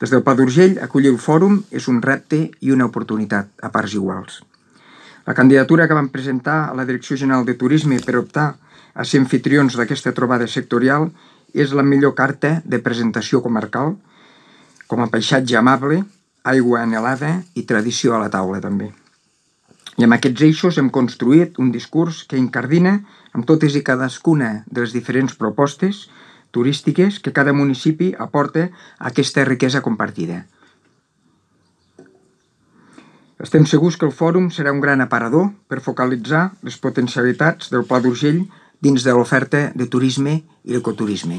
Des del Pla d'Urgell, acollir el fòrum és un repte i una oportunitat a parts iguals. La candidatura que vam presentar a la Direcció General de Turisme per optar a ser anfitrions d'aquesta trobada sectorial és la millor carta de presentació comarcal, com a paisatge amable, aigua anhelada i tradició a la taula també. I amb aquests eixos hem construït un discurs que incardina amb totes i cadascuna de les diferents propostes turístiques que cada municipi aporta a aquesta riquesa compartida. Estem segurs que el fòrum serà un gran aparador per focalitzar les potencialitats del Pla d'Urgell dins de l'oferta de turisme i ecoturisme.